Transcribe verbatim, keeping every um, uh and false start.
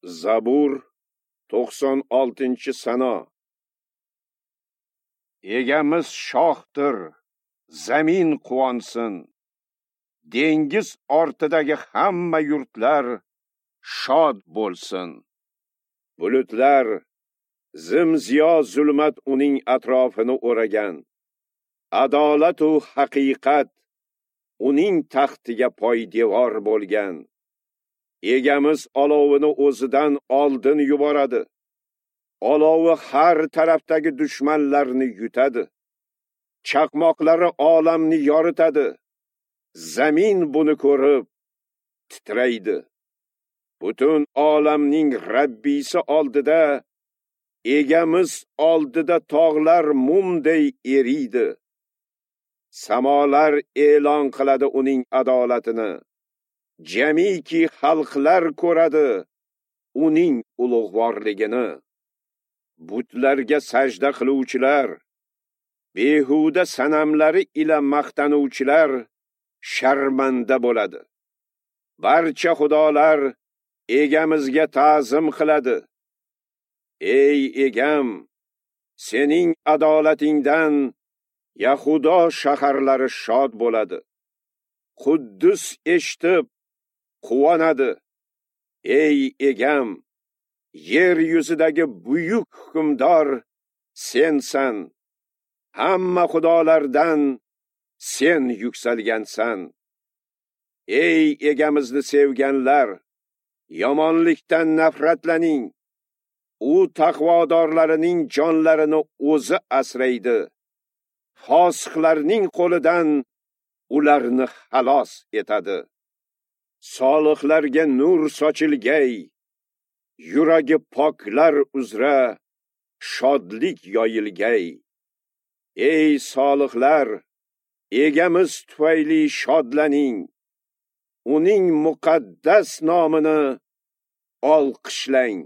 Zabur to'qson oltinchi sano. Egamiz shohdir, zamin quvonsin. Dengiz ortidagi hamma yurtlar shod bo'lsin. Bulutlar, zimziyo zulmat uning atrofini o'ragan. Adolat u haqiqat uning taxtiga poydevor bo'lgan. Egamiz olovini o'zidan oldin yuboradi. Olovi har tarafdagi dushmanlarni yutadi. Chaqmoqlari olamni yoritadi. Zamin buni ko'rib titraydi. Butun olamning Rabbisi oldida, egamiz oldida tog'lar mumday eriydi. Samolar e'lon qiladi uning adolatini. Jamiki xalqlar ko'radi uning ulug'vorligini. Butlarga sajda qiluvchilar, behuda sanamlari ila maqtanuvchilar sharmanda bo'ladi. Barcha xudolar egamizga ta'zim qiladi. Ey egam, sening adolatingdan Yahudo shaharlari shod bo'ladi. Quddus eshitib quvonadi. Ey egam, yer yuzidagi buyuk hukmdor sensan. Hamma xudolardan sen yuksalgansan. Ey egamizni sevganlar, yomonlikdan nafratlaning. U taqvodorlarining jonlarini o'zi asraydi. Fosiqlarning qo'lidan ularni xalos etadi. Solihlarga nur sochilgay, yuragi poklar uzra shodlik yoyilgay. Ey solihlar, egamiz tufayli shodlaning. Uning muqaddas nomini olqishlang.